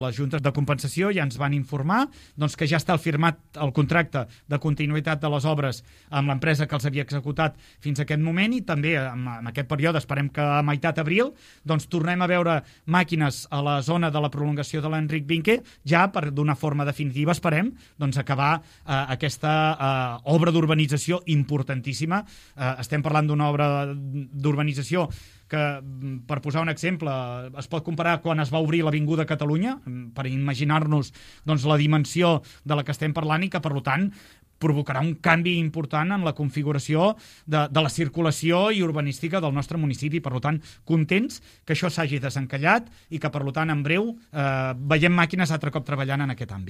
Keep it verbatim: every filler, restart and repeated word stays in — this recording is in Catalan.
Les juntes de compensació ja ens van informar doncs, que ja està firmat el contracte de continuïtat de les obres amb l'empresa que els havia executat fins a aquest moment i també en, en aquest període, esperem que a meitat abril, doncs tornem a veure màquines a la zona de la prolongació de l'Enric Vinque, ja per d'una forma definitiva, esperem, doncs acabar eh, aquesta eh, obra d'urbanització importantíssima. Eh, estem parlant d'una obra d'urbanització que, per posar un exemple, es pot comparar quan es va obrir l'Avinguda Catalunya, per imaginar-nos doncs, la dimensió de la que estem parlant i que, per tant, provocarà un canvi important en la configuració de, de la circulació i urbanística del nostre municipi. Per tant, contents que això s'hagi desencallat i que, per tant, en breu eh, veiem màquines altre cop treballant en aquest àmbit.